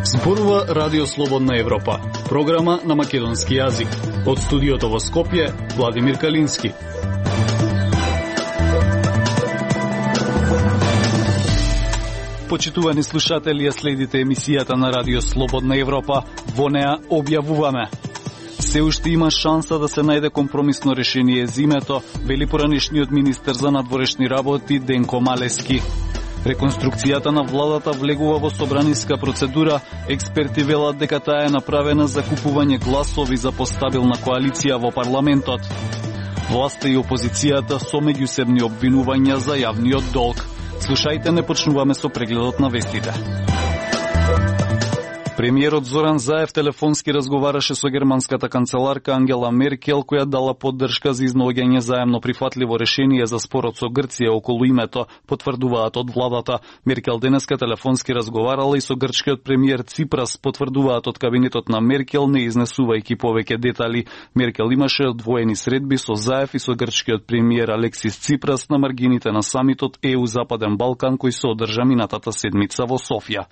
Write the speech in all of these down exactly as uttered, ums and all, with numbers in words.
Зборува Радио Слободна Европа, програма на македонски јазик. Од студиото во Скопје, Владимир Калински. Почитувани слушатели, ја следите емисијата на Радио Слободна Европа. Во неа објавуваме: се уште има шанса да се најде компромисно решение зимето, вели поранешниот министер за надворешни работи Денко Малески. Реконструкцијата на владата влегува во собраниска процедура. Експерти велат дека таа е направена за купување гласови за постабилна коалиција во парламентот. Власта и опозицијата со меѓусебни обвинувања за јавниот долг. Слушајте, не почнуваме со прегледот на вестите. Премиерот Зоран Заев телефонски разговараше со германската канцеларка Ангела Меркел, која дала поддршка за изнаоѓање заемно прифатливо решение за спорот со Грција околу името, потврдуваат од владата. Меркел денеска телефонски разговарала и со грчкиот премиер Ципрас, потврдуваат од кабинетот на Меркел, не изнесувајќи повеќе детали. Меркел имаше одвоени средби со Заев и со грчкиот премиер Алексис Ципрас на маргините на самитот Е У Западен Балкан, кој се одржа минатата седмица во Софија.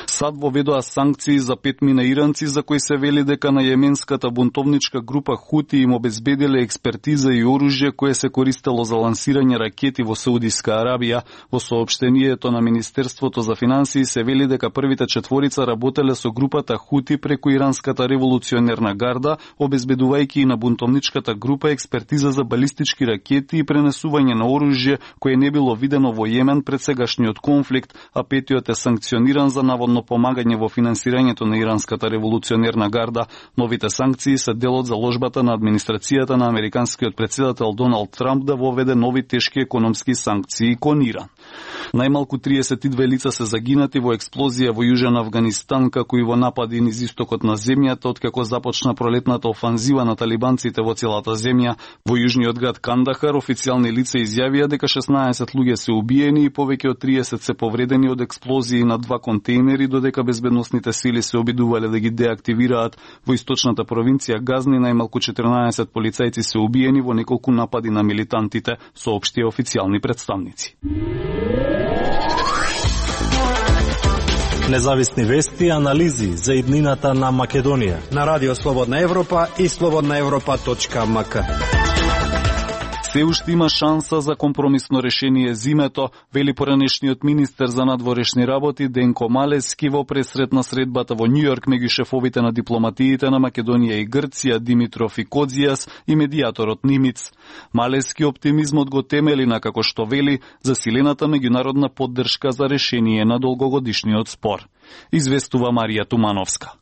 САД воведоа санкции за петмина иранци, за кои се вели дека на јеменската бунтовничка група Хути им обезбеделе експертиза и оружје кое се користело за лансирање ракети во Саудиска Арабија. Во соопштението на Министерството за финансии се вели дека првите четворица работеле со групата Хути преку иранската револуционерна гарда, обезбедувајќи и на бунтовничката група експертиза за балистички ракети и пренесување на оружје кое не било видено во Јемен пред сегашниот конфликт, а петиот е санкциониран за наводно помагање во финансирање на иранската револуционерна гарда. Новите санкции се дел од заложбата на администрацијата на американскиот председател Доналд Трамп да воведе нови тешки економски санкции кон Иран. Најмалку триесет и две лица се загинати во експлозија во Јужен Авганистан, како и во напади низ истокот на земјата, откако започна пролетната офанзива на талибанците во целата земја. Во јужниот град Кандахар официјални лица изјавија дека шеснаесет луѓе се убиени и повеќе од триесет се повредени од експлозии на два контейнери, додека безбедносните сили се обидувале да ги деактивираат. Во источната провинција Газни најмалку четрнаесет полицајци се убиени во неколку напади на милитантите, соопштија официјални представници. Независни вести и анализи за иднината на Македонија на Радио Слободна Европа и слободна европа точка ем ка. Се уште има шанса за компромисно решение зимето, вели поранешниот министер за надворешни работи Денко Малески во пресрет на средбата во Њујорк меѓу шефовите на дипломатиите на Македонија и Грција Димитров и Кодзијас и медијаторот Нимиц. Малески оптимизмот го темели на, како што вели, засилената меѓународна поддршка за решение на долгогодишниот спор. Известува Марија Тумановска.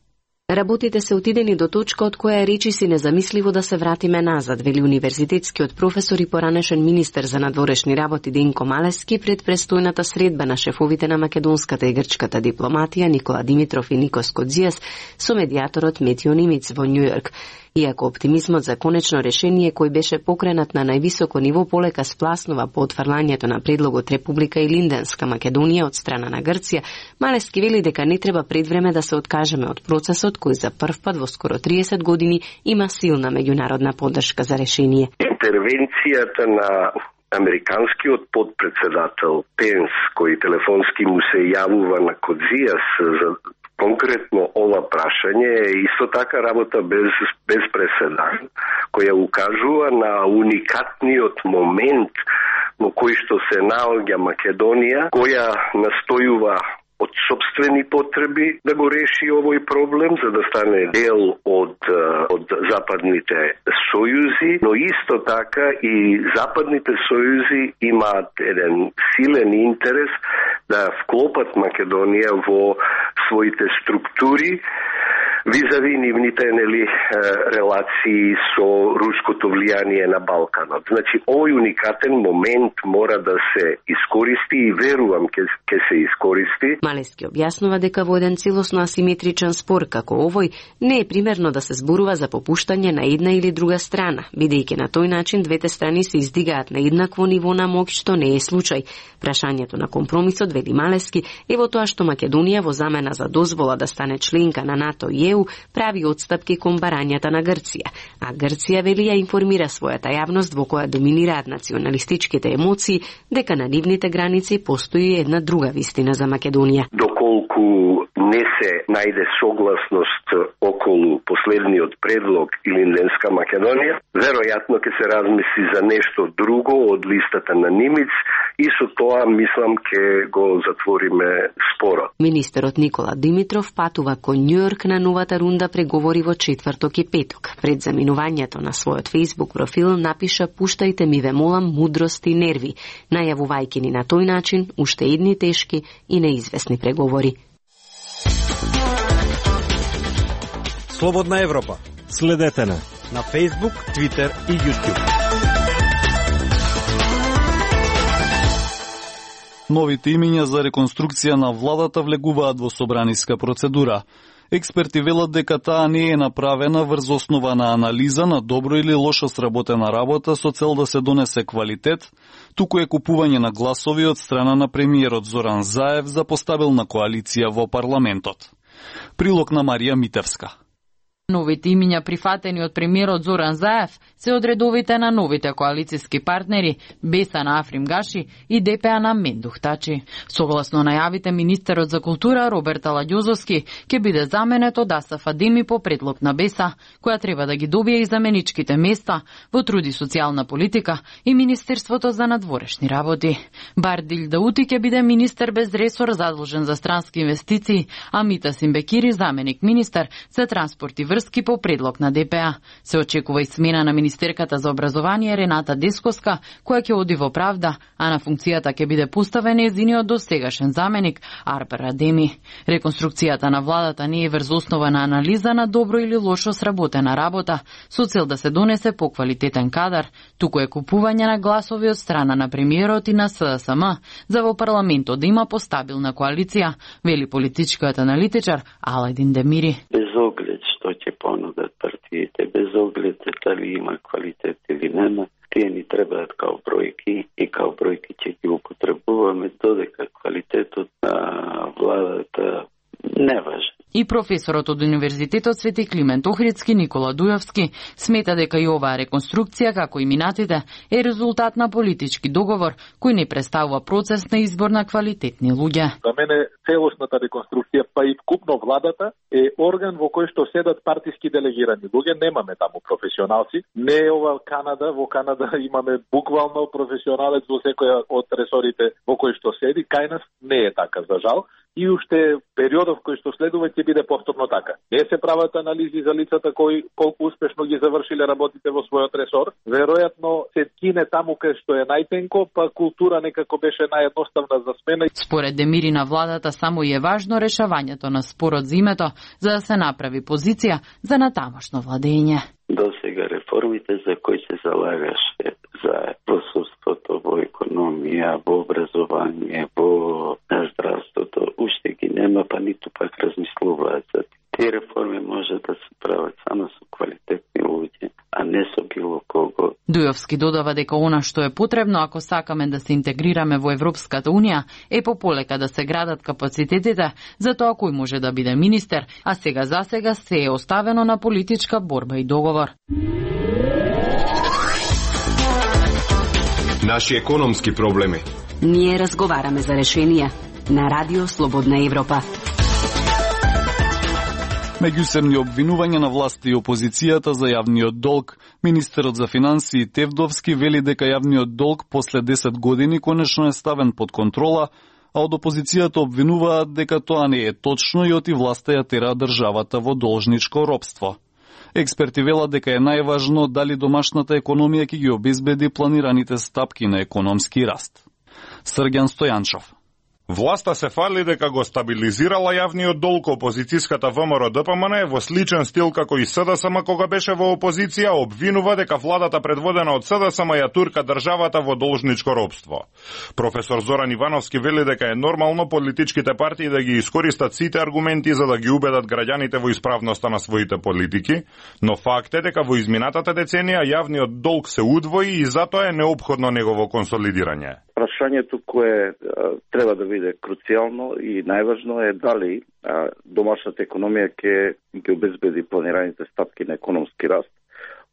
Работите се отидени до точка од која речи си незамисливо да се вратиме назад, вели универзитетскиот професор и поранешен министер за надворешни работи Денко Малески пред престојната средба на шефовите на македонската и грчката дипломатија Никола Димитров и Никос Кодзијас со медијаторот Метио Нимиц во Њујорк. Иако оптимизмот за конечно решение кој беше покренат на највисоко ниво полека спласнува по отфрлањето на предлогот Република и Линденска Македонија од страна на Грција, Малески вели дека не треба пред време да се откажеме од процесот кој за прв пат во скоро триесет години има силна меѓународна поддршка за решение. Интервенцијата на американскиот подпредседател Пенс, кој телефонски му се јавува на Кодзијас за конкретно ова прашање, е исто така работа без, без преседан, која укажува на уникатниот момент во кој што се наоѓа Македонија, која настојува од собствени потреби да го реши овој проблем, за да стане дел од, од западните сојузи, но исто така и западните сојузи имаат еден силен интерес да вклопат Македонија во своите структури, визави нивните нели релации со руското влијание на Балканот. Значи, овој уникатен момент мора да се искористи и верувам ке, ке се искористи. Малески објаснува дека во еден целосно асиметричен спор како овој не е примерно да се зборува за попуштање на една или друга страна, бидејќи на тој начин двете страни се издигаат на еднакво ниво на моќ, што не е случај. Прашањето на компромисот, вели Малески, е во тоа што Македонија во замена за дозвола да стане членка на НАТО и Е У прави отстапки кон барањата на Грција, а Грција вели ја информира својата јавност во која доминираат националистичките емоции дека на нивните граници постои една друга вистина за Македонија. Доколку доколку не се најде согласност околу последниот предлог или Инденска Македонија, веројатно ќе се размисли за нешто друго од листата на Нимиц и со тоа мислам ќе го затвориме спорот. Министерот Никола Димитров патува кон Њујорк на новата рунда преговори во четврток и петок. Пред заминувањето на својот Facebook профил напиша: "Пуштајте ми, ве молам, мудрост и нерви", најавувајќи ни на тој начин уште едни тешки и неизвестни преговори. Слободна Европа. Следете на на Facebook, Twitter и YouTube. Новите имиња за реконструкција на владата влегуваат во собраниска процедура. Експерти велат дека таа не е направена врз основа на анализа на добро или лошо сработена работа со цел да се донесе квалитет, туку е купување на гласови од страна на премиерот Зоран Заев за постабилна коалиција во парламентот. Прилог на Марија Митевска. Новите имиња прифатени од премиерот Зоран Заев се од редовите на новите коалициски партнери Беса на Африм Гаши и ДПА на Мендух Тачи. Согласно најавите, министерот за култура Роберт Аладјозовски ќе биде заменет од Асаф Адеми по предлог на Беса, која треба да ги добие и заменичките места во труд и социјална политика и Министерството за надворешни работи. Бардил Даути ќе биде министер без ресор задолжен за странски инвестиции, а Мита Симбекири заменик министер за транспорт и врски по предлог на ДПА. Се очекува и смена на министерката за образование Рената Десковска, која ќе оди во правда, а на функцијата ќе биде поставен нејзиниот досегашен заменик Арпер Адеми. Реконструкцијата на владата не е врз основа на анализа на добро или лошо сработена работа, со цел да се донесе поквалитетен кадар, туку е купување на гласови од страна на премиерот и на СДСМ за во парламентот да има постабилна коалиција, вели политичкиот аналитичар Аладин Демири. Без оглед што ќе понудат партиите, без оглед дали има квалитет или нема, тие ни требаат као бројки и као бројки ќе ги употребуваме додека квалитетот на владата не важен. И професорот од Универзитетот Свети Климент Охридски Никола Дујовски смета дека и оваа реконструкција, како и минатите, е резултат на политички договор кој не представува процес на избор на квалитетни луѓе. За мене целосната реконструкција, па и вкупно владата, е орган во кој што седат партиски делегирани луѓе. Немаме таму професионалци. Не е ова Канада. Во Канада имаме буквално професионалец во секоја од ресорите во кој што седи. Кај нас не е така, за жал. И уште периодов кој што следува ќе биде повторно така. Не се прават анализи за лицата кои колку успешно ги завршиле работите во својот ресор. Веројатно се кине таму кај што е најтенко, па култура некако беше наједноставна за смена. Според Демири на владата само и е важно решавањето на спорот за името за да се направи позиција за натамошно владење. До сега реформите за кои се залагаше за во судството, во економија, во образование, во здравството, уште ги нема, па ниту пак размислуваат за тие реформи може да се прават само со квалитетни луѓе, а не со било кого. Дујовски додава дека она што е потребно ако сакаме да се интегрираме во Европската унија е пополека да се градат капацитетите за тоа кој може да биде министер, а сега за сега се е оставено на политичка борба и договор. Наши економски проблеми. Ние разговараме за решенија на Радио Слободна Европа. Меѓусебни обвинувања на власти и опозицијата за јавниот долг, министерот за финансии Тевдовски вели дека јавниот долг после десет години конечно е ставен под контрола, а од опозицијата обвинуваат дека тоа не е точно и оти власта ја тера државата во должничко робство. Експерти велат дека е најважно дали домашната економија ќе ги обезбеди планираните стапки на економски раст. Срѓан Стојанчов. Власта се фали дека го стабилизирала јавниот долг. Опозицијската ВМРО Д П М Н во сличен стил како и СДСМ кога беше во опозиција обвинува дека владата предводена од СДСМ ја турка државата во должничко робство. Професор Зоран Ивановски вели дека е нормално политичките партии да ги искористат сите аргументи за да ги убедат граѓаните во исправноста на своите политики, но факт е дека во изминатата деценија јавниот долг се удвои и затоа е неопходно негово консолидирање. Прашањето кое а, треба да биде круцијално и најважно е дали а, домашната економија ќе ги обезбеди планираните стапки на економски раст,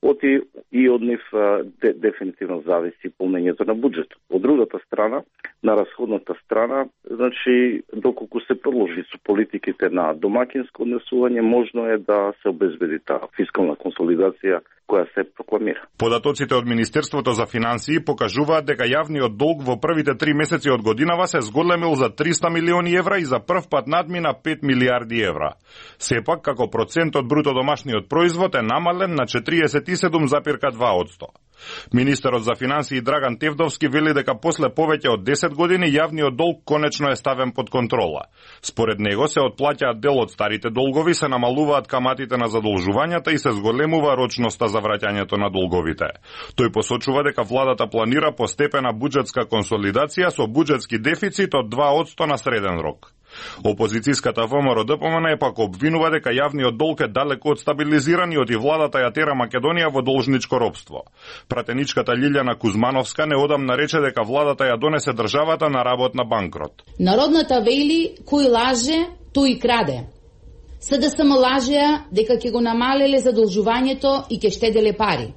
оти и од нив де, дефинитивно зависи полнењето на буџетот. Од другата страна, на расходната страна, значи доколку се продолжи со политиките на домакинско однесување, можно е да се обезбеди таа фискална консолидација која се прокламира. Податоците од Министерството за финансии покажуваат дека јавниот долг во првите три месеци од годинава се зголемил за триста милиони евра и за прв пат надмина пет милиарди евра. Сепак, како процент од бруто домашниот производ е намален на четириесет и седум запирка два одсто. Министерот за финансии Драган Тевдовски вели дека после повеќе од десет години јавниот долг конечно е ставен под контрола. Според него се отплаќаат дел од старите долгови, се намалуваат каматите на задолжувањата и се зголемува рочноста за враќањето на долговите. Тој посочува дека владата планира постепена буџетска консолидација со буџетски дефицит од два одсто на среден рок. Опозицијската ВМРО-ДПМН е пак обвинува дека јавниот долг е далеку од стабилизиран и оти владата ја тера Македонија во должничко робство. Пратеничката Лилјана Кузмановска неодамна рече дека владата ја донесе државата на работна банкрот. Народната вели, кој лаже, тој краде. СДСМ лажеа дека ќе го намалеле задолжувањето и ќе штеделе пари.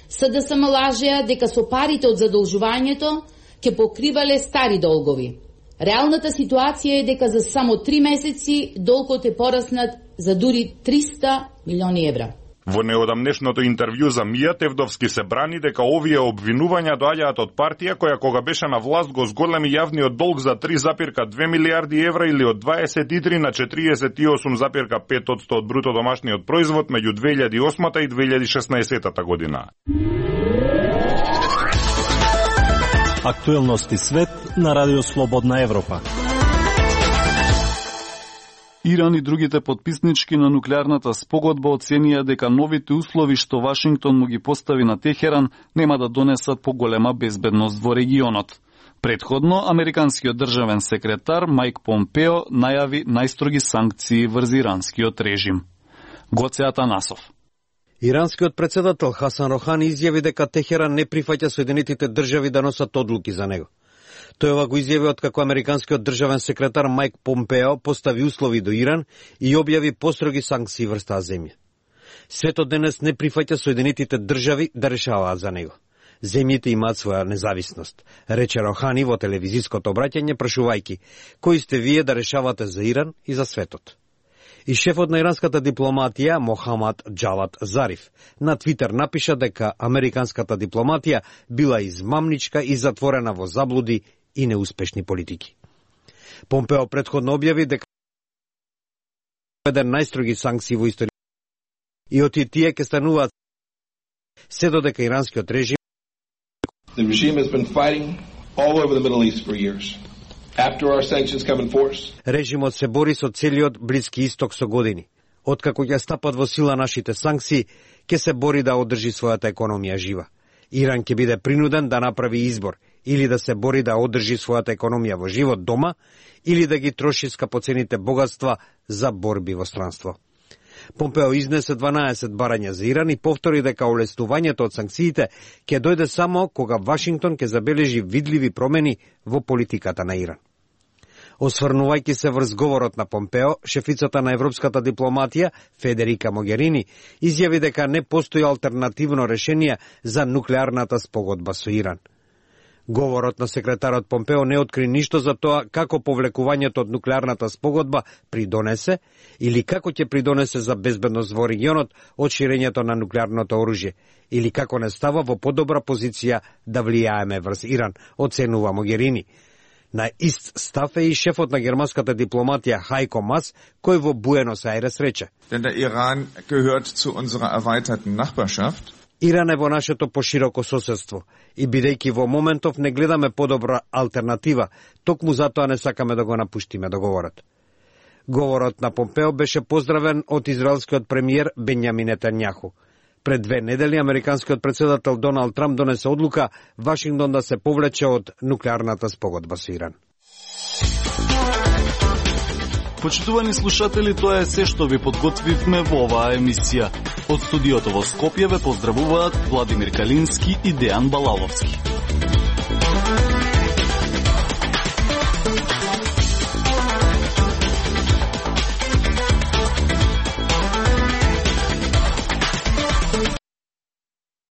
СДСМ лажеа дека со парите од задолжувањето ќе покривале стари долгови. Реалната ситуација е дека за само три месеци долгот е пораснат за дури триста милиони евра. Во неодамнешното интервју за Мија, Тевдовски се брани дека овие обвинувања доаѓаат од партија која кога беше на власт го зголеми јавниот долг за три запирка две милиарди евра или од дваесет и три на четириесет и осум запирка пет одсто од бруто домашниот производ меѓу две илјади и осмата и две илјади и шеснаесетата година. Актуелности свет на Радио Слободна Европа. Иран и другите потписнички на нуклеарната спогодба оценија дека новите услови што Вашингтон му ги постави на Техеран нема да донесат поголема безбедност во регионот. Предходно, американскиот државен секретар Мајк Помпео најави најстроги санкции врз иранскиот режим. Гоце Атанасов. Иранскиот председател Хасан Рохани изјави дека Техеран не прифаќа Соединетите држави да носат одлуки за него. Тој ова го изјави откако американскиот државен секретар Мајк Помпео постави услови до Иран и објави построги санкции врз таа земја. Светот денес не прифаќа Соединетите држави да решаваат за него. Земјите имаат своја независност, рече Рохани во телевизиското обраќање прашувајќи кои сте вие да решавате за Иран и за светот. И шефот на иранската дипломатија Мохамад Џавад Зариф на Твитер напиша дека американската дипломатија била измамничка и затворена во заблуди и неуспешни политики. Помпео претходно објави дека еден најстроги санкции во историјата и оти тие ќе стануваат се додека иранскиот режим The regime has been fighting all over the Middle East for years. After our sanctions come in force, режимот се бори со целиот Блиски исток со години. Откако ќе стапат во сила нашите санкции, ќе се бори да одржи својата економија жива. Иран ќе биде принуден да направи избор, или да се бори да одржи својата економија во живот дома, или да ги троши скапоцените богатства за борби во странство. Помпео изнесе дванаесет барања за Иран и повтори дека олестувањето од санкциите ќе дојде само кога Вашингтон ќе забележи видливи промени во политиката на Иран. Осврнувајќи се врз говорот на Помпео, шефицата на европската дипломатија Федерика Могерини изјави дека не постои алтернативно решение за нуклеарната спогодба со Иран. Говорот на секретарот Помпео не откри ништо за тоа како повлекувањето од нуклеарната спогодба придонесе или како ќе придонесе за безбедност во регионот од ширењето на нуклеарното оружје или како не става во подобра позиција да влијаеме врз Иран, оценува Могерини. На ист став е и шефот на германската дипломатија Хајко Мас, кој во Буенос Ајрес рече: Denn der Iran gehört zu unserer erweiterten Nachbarschaft. Иран е во нашето пошироко соседство и бидејќи во моментов не гледаме подобра алтернатива, токму затоа не сакаме да го напуштиме договорот. Говорот на Помпео беше поздравен од израелскиот премиер Бенјамин Нетањаху. Пред две недели американскиот председател Доналд Трамп донесе одлука Вашингтон да се повлече од нуклеарната спогодба со Иран. Почитувани слушатели, тоа е се што ви подготвивме во оваа емисија. Од студиото во Скопје ве поздравуваат Владимир Калински и Дејан Балаловски.